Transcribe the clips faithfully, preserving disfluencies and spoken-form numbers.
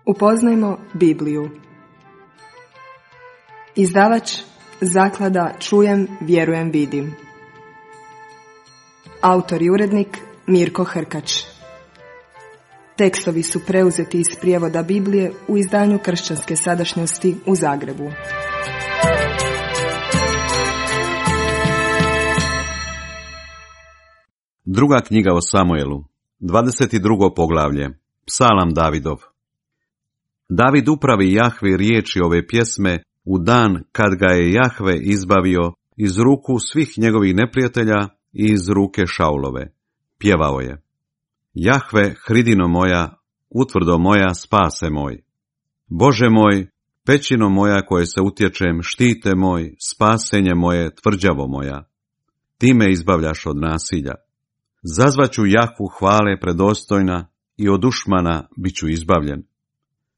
Upoznajmo Bibliju. Izdavač Zaklada Čujem, vjerujem, vidim. Autor i urednik Mirko Hrkač. Tekstovi su preuzeti iz prijevoda Biblije u izdanju Kršćanske sadašnjosti u Zagrebu. Druga knjiga o Samuelu, dvadeset drugo poglavlje, Psalam Davidov. David upravi Jahvi riječi ove pjesme u dan kad ga je Jahve izbavio iz ruku svih njegovih neprijatelja i iz ruke Šaulove. Pjevao je: Jahve, hridino moja, utvrdo moja, spase moj. Bože moj, pećino moja koje se utječem, štite moj, spasenje moje, tvrđavo moja. Ti me izbavljaš od nasilja. Zazvaću Jahvu hvale predostojna i od dušmana bit ću izbavljen.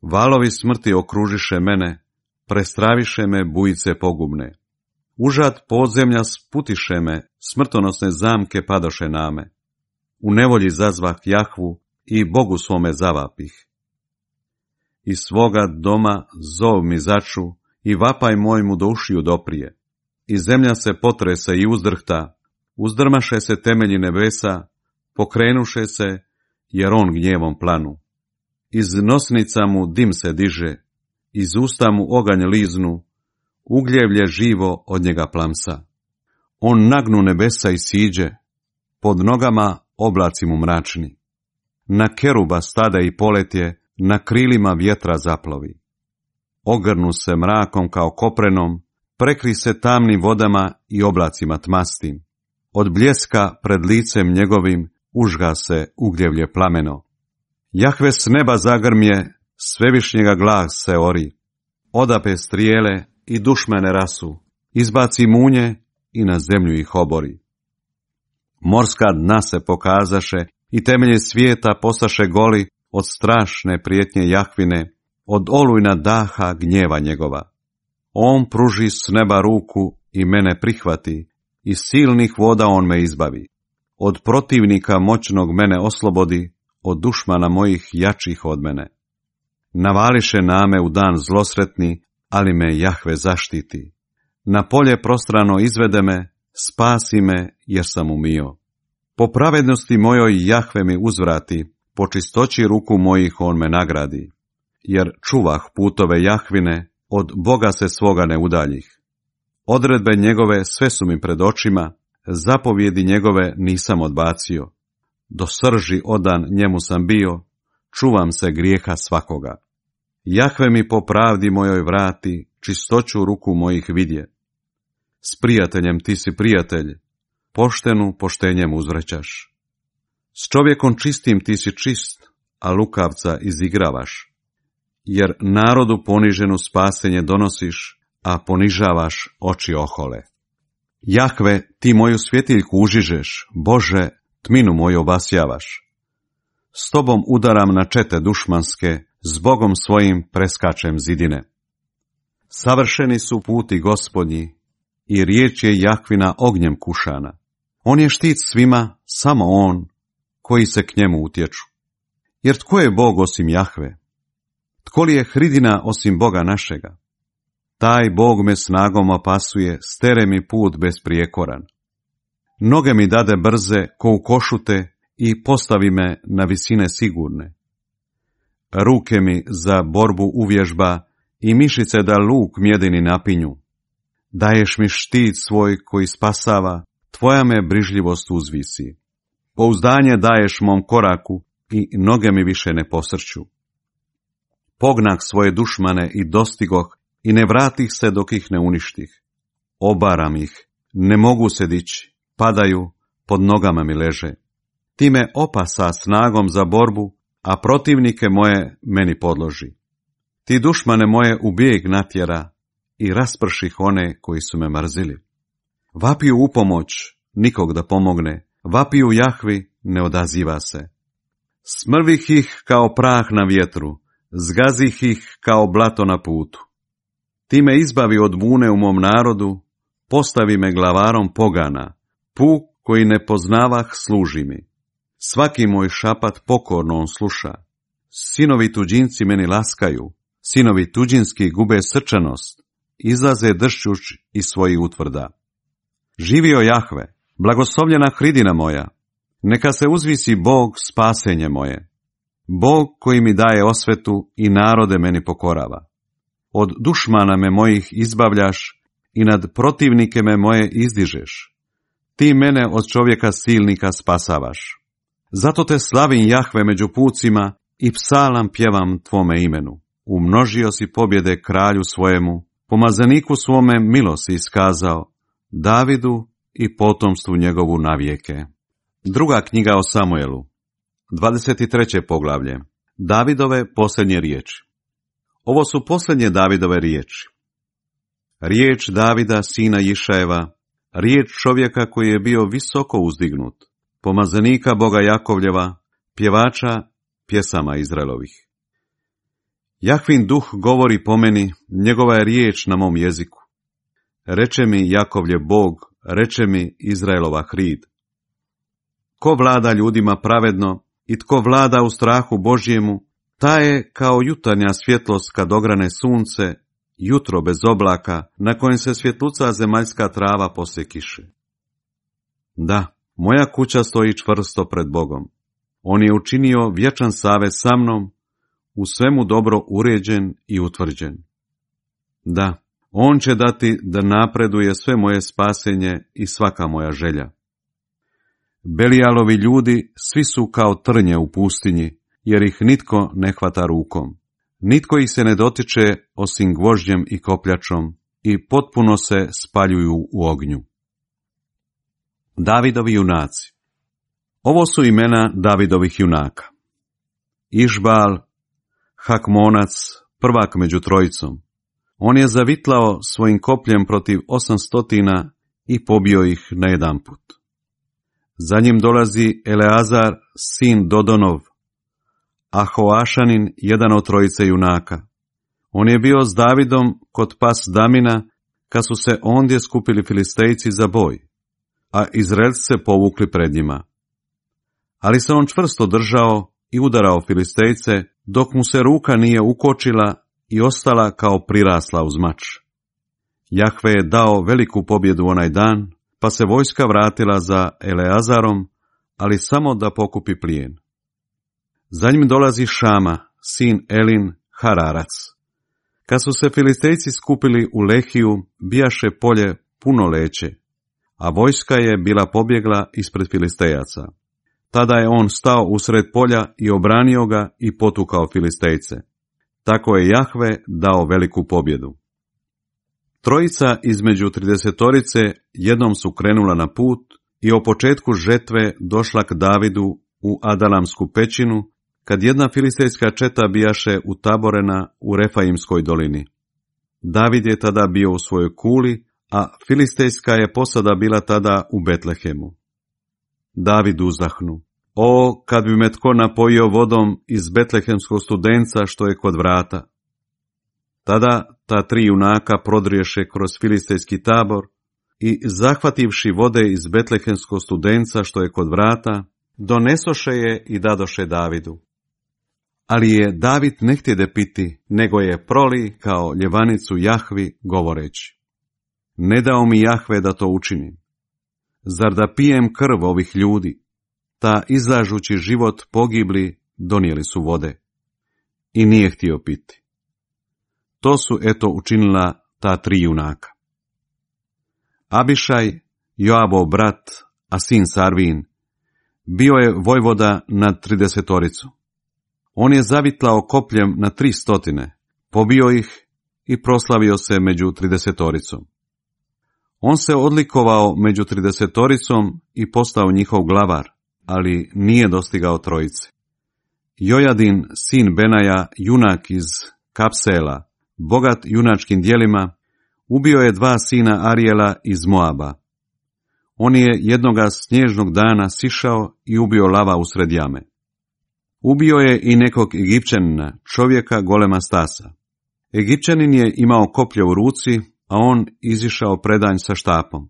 Valovi smrti okružiše mene, prestraviše me bujice pogubne. Užad podzemlja sputiše me, smrtonosne zamke padoše name. U nevolji zazvah Jahvu i Bogu svome zavapih. Iz svoga doma zov mi začu i vapaj moj mu do ušiju doprije. I zemlja se potrese i uzdrhta, uzdrmaše se temelji nebesa, pokrenuše se, jer on gnjevom planu. Iz nosnica mu dim se diže, iz usta mu oganj liznu, ugljevlje živo od njega plamsa. On nagnu nebesa i siđe, pod nogama oblaci mu mračni. Na keruba stada i poletje, na krilima vjetra zaplovi. Ogrnu se mrakom kao koprenom, prekri se tamnim vodama i oblacima tmastim. Od bljeska pred licem njegovim užga se ugljevlje plameno. Jahve s neba zagrmje, svevišnjega glas se ori. Odape strijele i dušmane rasu, izbaci munje i na zemlju ih obori. Morska dna se pokazaše i temelje svijeta postaše goli od strašne prijetnje Jahvine, od olujna daha gnjeva njegova. On pruži s neba ruku i mene prihvati, iz silnih voda on me izbavi. Od protivnika moćnog mene oslobodi, od dušmana mojih jačih od mene. Navališe name u dan zlosretni, ali me Jahve zaštiti. Na polje prostrano izvede me, spasi me jer sam umio. Po pravednosti mojoj Jahve mi uzvrati, po čistoći ruku mojih on me nagradi. Jer čuvah putove Jahvine, od Boga se svoga ne udaljih. Odredbe njegove sve su mi pred očima, zapovjedi njegove nisam odbacio. Do srži odan njemu sam bio, čuvam se grijeha svakoga. Jahve mi po pravdi mojoj vrati, čistoću ruku mojih vidje. S prijateljem ti si prijatelj, poštenu poštenjem uzvraćaš. S čovjekom čistim ti si čist, a lukavca izigravaš. Jer narodu poniženu spasenje donosiš, a ponižavaš oči ohole. Jahve, ti moju svjetiljku užižeš, Bože, tminu moju obasjavaš. S tobom udaram na čete dušmanske, s Bogom svojim preskačem zidine. Savršeni su puti Gospodnji i riječ je Jahvina ognjem kušana. On je štit svima, samo on, koji se k njemu utječu. Jer tko je Bog osim Jahve? Tko li je hridina osim Boga našega? Taj Bog me snagom opasuje, stere mi put besprijekoran. Noge mi dade brze ko u košute i postavi me na visine sigurne. Ruke mi za borbu uvježba i mišice da luk mjedini napinju. Daješ mi štit svoj koji spasava, tvoja me brižljivost uzvisi. Pouzdanje daješ mom koraku i noge mi više ne posrću. Pognah svoje dušmane i dostigoh i ne vratih se dok ih ne uništih. Obaram ih, ne mogu se dići, padaju, pod nogama mi leže. Ti me opasa snagom za borbu, a protivnike moje meni podloži. Ti dušmane moje u bijeg natjera i rasprših one koji su me mrzili. Vapiju u pomoć, nikog da pomogne, vapiju Jahvi, ne odaziva se. Smrvih ih kao prah na vjetru, zgazih ih kao blato na putu. Ti me izbavi od bune u mom narodu, postavi me glavarom pogana, puk koji ne poznavah služi mi. Svaki moj šapat pokorno on sluša, Sinovi tuđinci meni laskaju, sinovi tuđinski gube srčanost, izlaze dršćuć iz svojih utvrda. Živio Jahve, blagoslovljena hridina moja, neka se uzvisi Bog spasenje moje. Bog koji mi daje osvetu i narode meni pokorava. Od dušmana me mojih izbavljaš i nad protivnike me moje izdižeš. Ti mene od čovjeka silnika spasavaš. Zato te slavim Jahve među pucima i psalam pjevam tvome imenu. Umnožio si pobjede kralju svojemu, pomazaniku svome milost si iskazao, Davidu i potomstvu njegovu navijeke. Druga knjiga o Samuelu, dvadeset treće poglavlje. Davidove posljednje riječi. Ovo su posljednje Davidove riječi. Riječ Davida, sina Išajeva, riječ čovjeka koji je bio visoko uzdignut, pomazanika Boga Jakovljeva, pjevača pjesama Izraelovih. Jahvin duh govori po meni, njegova je riječ na mom jeziku. Reče mi Jakovlje Bog, reče mi Izraelova hrid. Ko vlada ljudima pravedno i tko vlada u strahu Božjemu, ta je kao jutarnja svjetlost kad ograne sunce, jutro bez oblaka, na kojem se svjetluca zemaljska trava poslije kiše. Da, moja kuća stoji čvrsto pred Bogom. On je učinio vječan savez sa mnom, u svemu dobro uređen i utvrđen. Da, on će dati da napreduje sve moje spasenje i svaka moja želja. Belijalovi ljudi svi su kao trnje u pustinji, jer ih nitko ne hvata rukom. Nitko ih se ne dotiče osim gvožđem i kopljačom i potpuno se spaljuju u ognju. Davidovi junaci. Ovo su imena Davidovih junaka. Išbal, Hakmonac, prvak među trojicom. On je zavitlao svojim kopljem protiv osamstotina i pobio ih na jedan put. Za njim dolazi Eleazar, sin Dodonov, Ahoašanin, jedan od trojice junaka. On je bio s Davidom kod pas Damina, kad su se ondje skupili Filistejci za boj, a Izraelci se povukli pred njima. Ali se on čvrsto držao i udarao Filistejce, dok mu se ruka nije ukočila i ostala kao prirasla uz mač. Jahve je dao veliku pobjedu onaj dan, pa se vojska vratila za Eleazarom, ali samo da pokupi plijen. Za njim dolazi Šama, sin Elin, Hararac. Kad su se Filistejci skupili u Lehiju, bijaše polje puno leće, a vojska je bila pobjegla ispred Filistejaca. Tada je on stao usred polja i obranio ga i potukao Filistejce. Tako je Jahve dao veliku pobjedu. Trojica između tridesetorice jednom su krenula na put i o početku žetve došla k Davidu u Adalamsku pećinu, kad jedna filistejska četa bijaše utaborena u Refaimskoj dolini. David je tada bio u svojoj kuli, a filistejska je posada bila tada u Betlehemu. David uzahnu. O, kad bi me tko napojio vodom iz betlehemskog studenca što je kod vrata. Tada ta tri junaka prodriješe kroz filistejski tabor i, zahvativši vode iz betlehemskog studenca što je kod vrata, donesoše je i dadoše Davidu. Ali je David ne htjede piti, nego je proli kao ljevanicu Jahvi, govoreći: Ne dao mi Jahve da to učinim. Zar da pijem krv ovih ljudi? Ta izlažući život pogibli donijeli su vode. I nije htio piti. To su eto učinila ta tri junaka. Abišaj, Joabov brat, a sin Sarvin, bio je vojvoda nad tridesetoricu. On je zavitlao kopljem na tri stotine, pobio ih i proslavio se među tridesetoricom. On se odlikovao među tridesetoricom i postao njihov glavar, ali nije dostigao trojice. Jojadin, sin Benaja, junak iz Kapsela, bogat junačkim djelima, ubio je dva sina Arijela iz Moaba. On je jednoga snježnog dana sišao i ubio lava usred jame. Ubio je i nekog Egipćanina, čovjeka golema stasa. Egipćanin je imao koplje u ruci, a on izišao predanj sa štapom.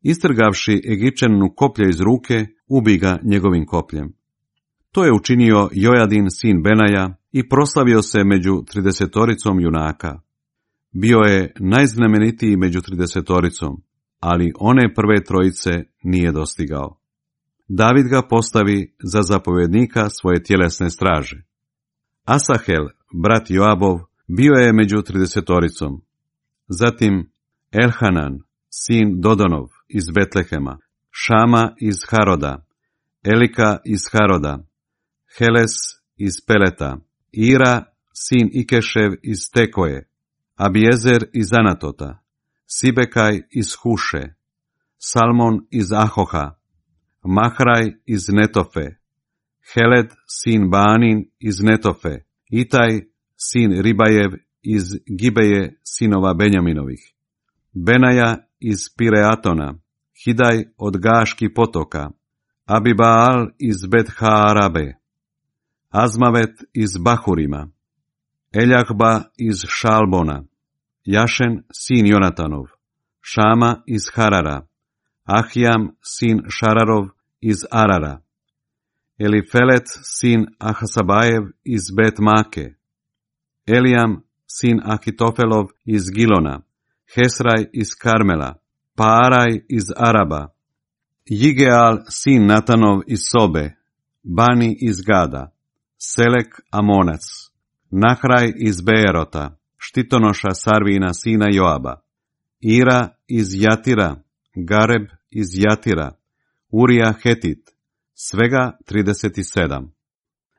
Istrgavši Egipćaninu koplje iz ruke, ubi ga njegovim kopljem. To je učinio Jojadin sin Benaja i proslavio se među tridesetoricom junaka. Bio je najznamenitiji među tridesetoricom, ali one prve trojice nije dostigao. David ga postavi za zapovjednika svoje tjelesne straže. Asahel, brat Joabov, bio je među tridesetoricom. Zatim Elhanan, sin Dodonov iz Betlehema, Šama iz Haroda, Elika iz Haroda, Heles iz Peleta, Ira, sin Ikešev iz Tekoje, Abiezer iz Anatota, Sibekaj iz Huše, Salmon iz Ahoha, Mahraj iz Netofe, Heled, sin Baanin iz Netofe, Itaj, sin Ribajev iz Gibeje sinova Benjaminovih, Benaja iz Pireatona, Hidaj od Gaški potoka, Abibaal iz Bet-Haarabe, Azmavet iz Bahurima, Eljahba iz Šalbona, Jašen, sin Jonatanov, Šama iz Harara, Ahijam, sin Šararov iz Arara, Elifelet, sin Ahasabajev iz Bet-Make, Elijam, sin Ahitofelov iz Gilona, Hesraj iz Karmela, Paaraj iz Araba, Jigeal, sin Natanov iz Sobe, Bani iz Gada, Selek Amonac, Nahraj iz Beerota, štitonoša Sarvina sina Joaba, Ira iz Jatira, Gareb iz Jatira, Urija Hetit, svega trideset sedam.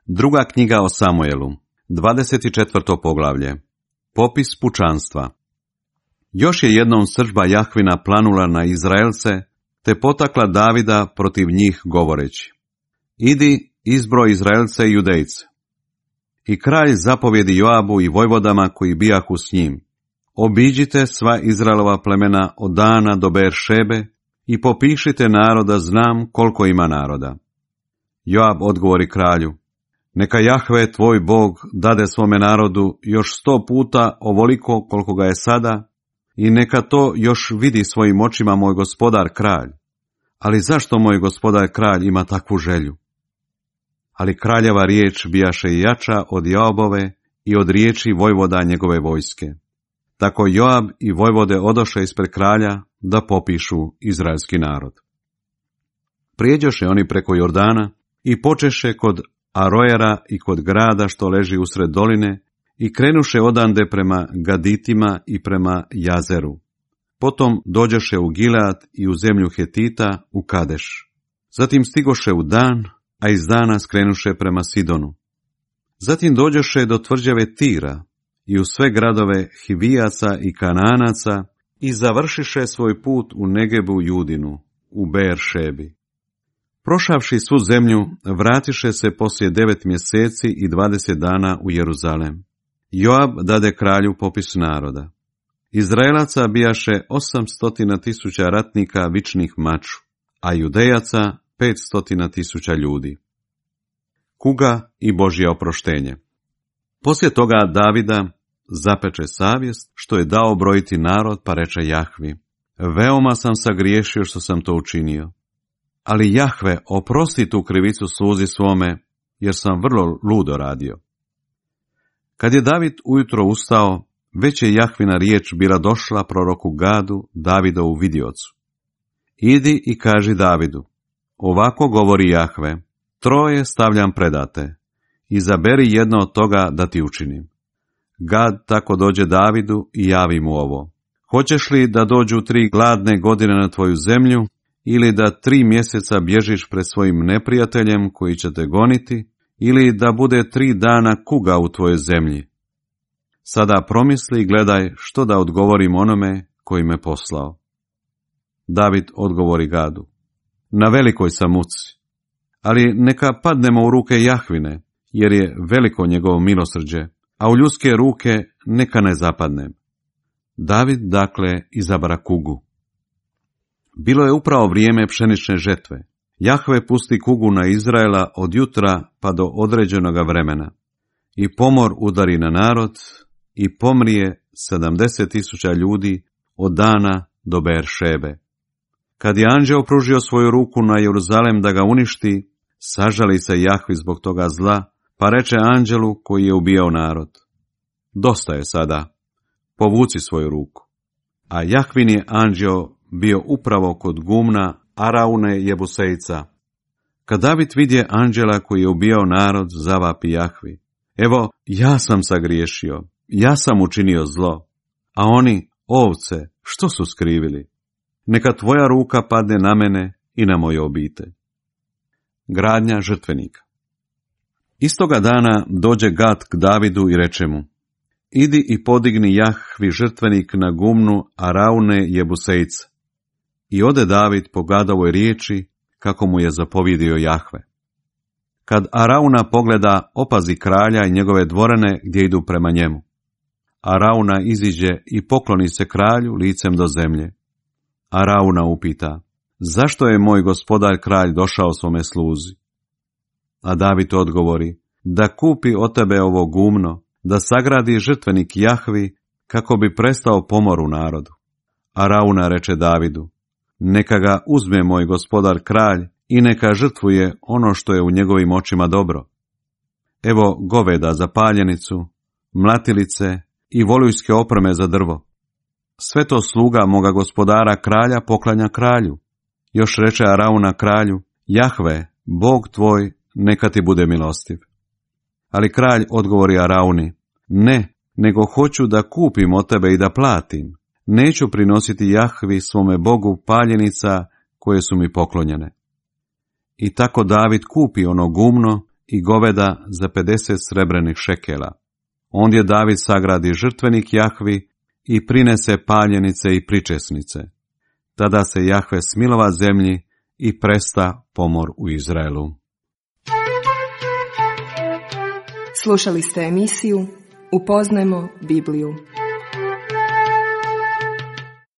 Druga knjiga o Samuelu, dvadeset četvrto poglavlje. Popis pučanstva. Još je jednom srdžba Jahvina planula na Izraelce, te potakla Davida protiv njih govoreći: Idi, izbroj Izraelce i Judejce. I kralj zapovjedi Joabu i vojvodama koji bijahu s njim: Obiđite sva Izraelova plemena od Dana do Beeršebe i popišite naroda, znam koliko ima naroda. Joab odgovori kralju: Neka Jahve tvoj Bog dade svome narodu još sto puta ovoliko koliko ga je sada, i neka to još vidi svojim očima moj gospodar kralj. Ali zašto moj gospodar kralj ima takvu želju? Ali kraljeva riječ bijaše jača od Joabove i od riječi vojvoda njegove vojske. Tako Joab i vojvode odoše ispred kralja da popišu izraelski narod. Prijeđoše oni preko Jordana i počeše kod Aroera i kod grada što leži usred doline i krenuše odande prema Gaditima i prema Jazeru. Potom dođoše u Gilead i u zemlju Hetita u Kadeš. Zatim stigoše u Dan, a iz Dana skrenuše prema Sidonu. Zatim dođoše do tvrđave Tira i u sve gradove Hivijaca i Kanaanaca i završiše svoj put u Negebu Judinu, u Beeršebi. Prošavši svu zemlju, vratiše se poslije devet mjeseci i dvadeset dana u Jeruzalem. Joab dade kralju popis naroda. Izraelaca bijaše osamstotina tisuća ratnika vičnih maču, a Judejaca petstotina tisuća ljudi. Kuga i Božje oproštenje. Poslije toga Davida zapeče savjest što je dao brojiti narod, pa reče Jahvi: Veoma sam sagriješio što sam to učinio. Ali Jahve, oprosti tu krivicu sluzi svome, jer sam vrlo ludo radio. Kad je David ujutro ustao, već je Jahvina riječ bila došla proroku Gadu, Davidovu vidiocu: Idi i kaži Davidu: Ovako govori Jahve, troje stavljam predate, izaberi jedno od toga da ti učinim. Gad tako dođe Davidu i javi mu ovo: Hoćeš li da dođu tri gladne godine na tvoju zemlju, ili da tri mjeseca bježiš pred svojim neprijateljem koji će te goniti, ili da bude tri dana kuga u tvojoj zemlji? Sada promisli i gledaj što da odgovorim onome koji me poslao. David odgovori Gadu: Na velikoj sam muci, ali neka padnemo u ruke Jahvine, jer je veliko njegovo milosrđe, a u ljudske ruke neka ne zapadnem. David dakle izabra kugu. Bilo je upravo vrijeme pšenične žetve. Jahve pusti kugu na Izraela od jutra pa do određenoga vremena. I pomor udari na narod i pomrije sedamdeset tisuća ljudi od Dana do Beeršebe. Kad je anđeo pružio svoju ruku na Jeruzalem da ga uništi, Sažali se Jahvi zbog toga zla, pa reče anđelu koji je ubijao narod: dosta je sada, povuci svoju ruku. A Jahvin je anđeo bio upravo kod gumna Araune Jebusejca. Kad David vidje anđela koji je ubijao narod, zavapi Jahvi: evo, ja sam sagriješio, ja sam učinio zlo, a oni, ovce, što su skrivili? Neka tvoja ruka padne na mene i na moju obitelj. Gradnja žrtvenika. Istoga dana dođe Gad k Davidu i reče mu: idi i podigni Jahvi žrtvenik na gumnu Araune Jebusejca. I ode David po Gadovoj riječi, kako mu je zapovjedio Jahve. Kad Arauna pogleda, opazi kralja i njegove dvorane gdje idu prema njemu. Arauna iziđe i pokloni se kralju licem do zemlje. Arauna upita: zašto je moj gospodar kralj došao svome sluzi? A David odgovori: da kupi od tebe ovo gumno, da sagradi žrtvenik Jahvi, kako bi prestao pomor u narodu. Arauna reče Davidu: neka ga uzme moj gospodar kralj i neka žrtvuje ono što je u njegovim očima dobro. Evo goveda za paljenicu, mlatilice i volujske opreme za drvo. Sve to sluga moga gospodara kralja poklanja kralju. Još reče Arauna kralju: Jahve, Bog tvoj, neka ti bude milostiv. Ali kralj odgovori Arauni: ne, nego hoću da kupim od tebe i da platim. Neću prinositi Jahvi svome Bogu paljenica koje su mi poklonjene. I tako David kupi ono gumno i goveda za pedeset srebrenih šekela. Ondje David sagradi žrtvenik Jahvi i prinese paljenice i pričesnice. Tada se Jahve smilova zemlji i presta pomor u Izraelu. Slušali ste emisiju Upoznajmo Bibliju.